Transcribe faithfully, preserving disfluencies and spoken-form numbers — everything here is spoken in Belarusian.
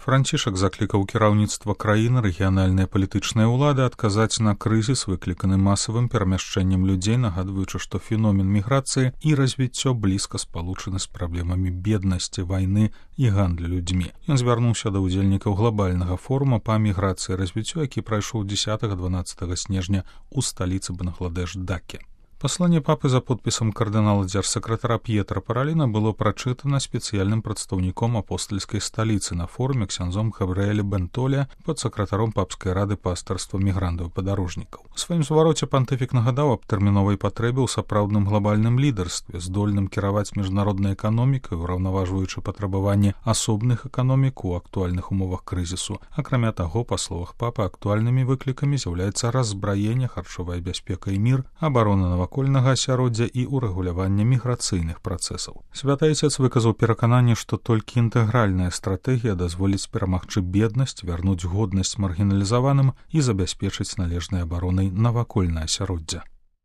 Францішак заклікаў кіраўніцтва краіны, рэгіянальныя палітычныя ўлады адказаць на крызіс, выкліканы масавым перамяшчэннем людзей, нагадваючы, што феномен міграцыі і развіццё блізка спалучаны з праблемамі беднасці, вайны і гандлю людзьмі. Ён звярнуўся да ўдзельнікаў глобальнага форума па міграцыі і развіццю, які прайшоў дзесятага-дванаццатага снежня ў сталіцы Бангладеш Даке. Пасланне папы за подпісам кардынала дзяржсакратара П'етра Параліна было прачытана спецыяльным прадстаўніком апостальскай сталіцы на форуме ксяндзом Габрыэлем Бентоля, падсакратаром папскай рады пастырства мігрантаў і падарожнікаў. У сваім звароце пантыфік нагадаў аб тэрміновай патрэбе ў сапраўдным глобальным лідарстве, здольным кіраваць міжнароднай эканомікай, ураўнаважваючы патрабаванні асобных эканомік у актуальных умовах крызісу. Акрамя таго, па словах папы, актуальнымі выклікамі з'яўляецца раззбраенне, харчовая бяспека і мір, абарона навакольнага асяроддзя і ўрэгуляванне міграцыйных працэсаў. Святы Айцец выказаў перакананне, што толькі інтэгральная стратэгія дазволіць перамагчы беднасць, вярнуць годнасць маргіналізаваным і забяспечыць належнай абаронай навакольнае асяроддзя.